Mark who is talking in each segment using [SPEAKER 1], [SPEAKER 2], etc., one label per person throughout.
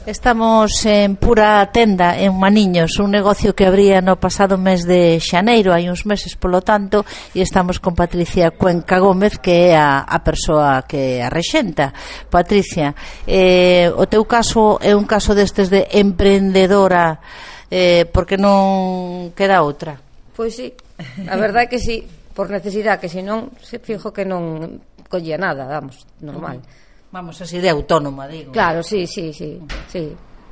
[SPEAKER 1] Estamos en Pura Tenda, en Maniños, un negocio que abría no pasado mes de xaneiro, hai uns meses polo tanto, e estamos con Patricia Cuenca Gómez, que é a persoa que a rexenta. Patricia, o teu caso é un caso destes de emprendedora, porque non queda outra?
[SPEAKER 2] Pois sí, a verdade é que sí, por necesidade, que senón se fijo que non collía nada, vamos, normal.
[SPEAKER 1] Vamos, así de autónoma, digo.
[SPEAKER 2] Claro, sí.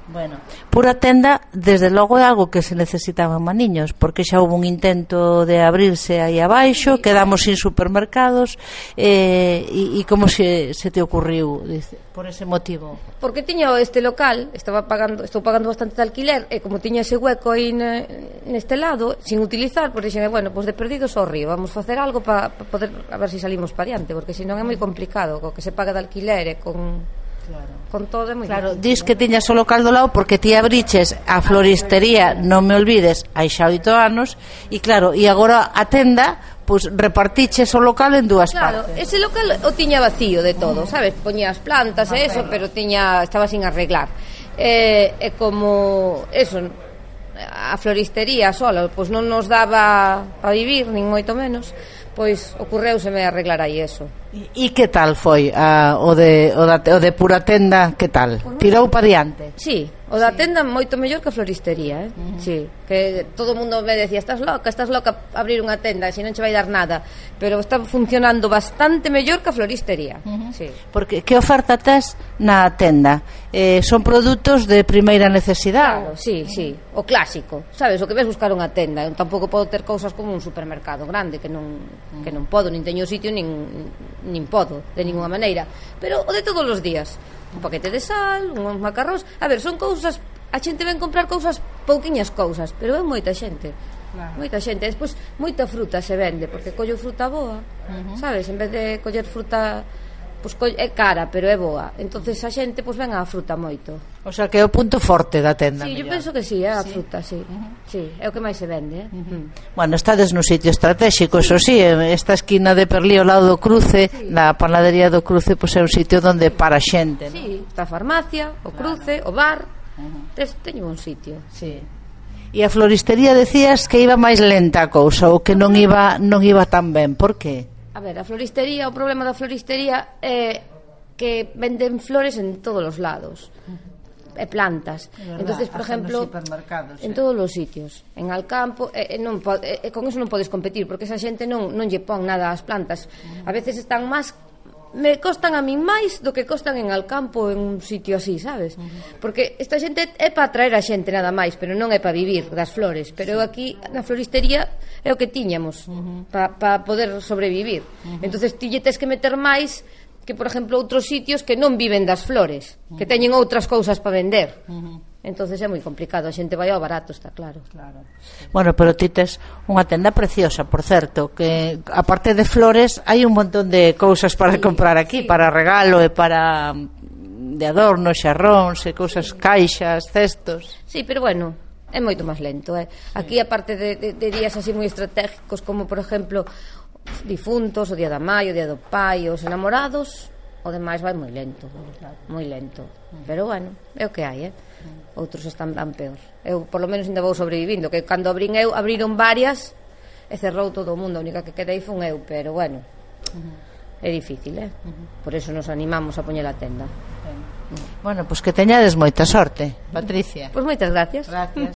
[SPEAKER 1] Bueno, Pura Tenda, desde logo é algo que se necesitaba en Maniños, porque xa houve un intento de abrirse aí abaixo, quedamos sin supermercados, e como se te ocurriu, por ese motivo?
[SPEAKER 2] Porque tiña este local, estou pagando bastante de alquiler, e como tiña ese hueco aí neste lado, sin utilizar, pois dixeme, bueno, pois de perdido só río, vamos facer algo para poder, a ver se salimos para diante, porque senón é moi complicado, co que se paga de alquiler e con todo é moi
[SPEAKER 1] claro, dis que tiñas o local do lado porque ti abriches a floristería, non me olvides, hai xa 8 anos, e claro, e agora a tenda, pois repartiches o local en dúas partes.
[SPEAKER 2] Claro, ese local o tiña vacío de todo, sabes? Poñía as plantas e eso, pero estaba sin arreglar. E como eso, a floristería sola, pois non nos daba para vivir, nin moito menos, pois ocorreuseme arreglar aí eso.
[SPEAKER 1] E que tal foi o de Pura Tenda, que tal? Tirou para diante?
[SPEAKER 2] Sí, o da tenda moito mellor que a floristería, sí, que todo o mundo me decía, estás loca abrir unha tenda, se non che vai dar nada, pero está funcionando bastante mellor que a floristería. Sí.
[SPEAKER 1] Porque que oferta tes na tenda? Son produtos de primeira necesidade?
[SPEAKER 2] Claro, sí, o clásico, sabes, o que ves buscar unha tenda. Eu tampouco podo ter cousas como un supermercado grande, que non podo, nin teño sitio, nin podo, de ninguna maneira, pero o de todos os días, un paquete de sal, uns macarróns, a ver, son cousas, a xente ven comprar cousas, pouquiñas cousas, pero é moita xente, moita xente. Despois moita fruta se vende, porque collo fruta boa, sabes, en vez de coller fruta, pois é cara, pero é boa, entonces a xente pois ven a fruta moito.
[SPEAKER 1] O sea, que é o punto forte da tenda.
[SPEAKER 2] Sí, eu penso que sí, é a fruta, sí. Sí, é o que máis se vende,
[SPEAKER 1] Bueno, estades no sitio estratégico, eso sí, esta esquina de Perlí ao lado do cruce, na panadería do cruce, pois é un sitio onde para xente, ¿no?
[SPEAKER 2] Sí, está a farmacia, o cruce, o bar, teño un sitio.
[SPEAKER 1] Sí. E a floristería decías que iba máis lenta a cousa, ou que non iba tan ben, por que?
[SPEAKER 2] A ver, a floristería, o problema da floristería é que venden flores en todos os lados, e plantas. Entonces, por exemplo, en todos os sitios, en Alcampo, con eso non podes competir, porque esa xente non lle pon nada ás plantas. A veces están máis, me costan a min máis do que costan en Alcampo, en un sitio así, sabes? Porque esta xente é para atraer a xente nada máis, pero non é para vivir das flores. Pero aquí na floristería é o que tiñamos para poder sobrevivir. Entonces ti lle tes que meter máis que, por exemplo, outros sitios que non viven das flores, que teñen outras cousas para vender. Entonces é moi complicado, a xente vai ao barato, está claro.
[SPEAKER 1] Bueno, pero ti tes unha tenda preciosa, por certo, que aparte de flores hai un montón de cousas para comprar aquí, para regalo e para de adorno, xarróns e cousas, caixas, cestos.
[SPEAKER 2] Sí, pero bueno, é moito máis lento, Aquí, aparte de días así moi estratégicos, como por exemplo difuntos, o día da mãe, o día do pai, os enamorados, o demais vai moi lento, pero bueno, é o que hai, outros están tan peor. Eu por lo menos ainda vou sobrevivindo, que cando abriron varias e cerrou todo o mundo, a única que quedei fun eu, pero bueno, é difícil, por eso nos animamos a poñer a tenda.
[SPEAKER 1] Bueno, pois que teñades moita sorte, Patricia.
[SPEAKER 2] Pois moitas gracias.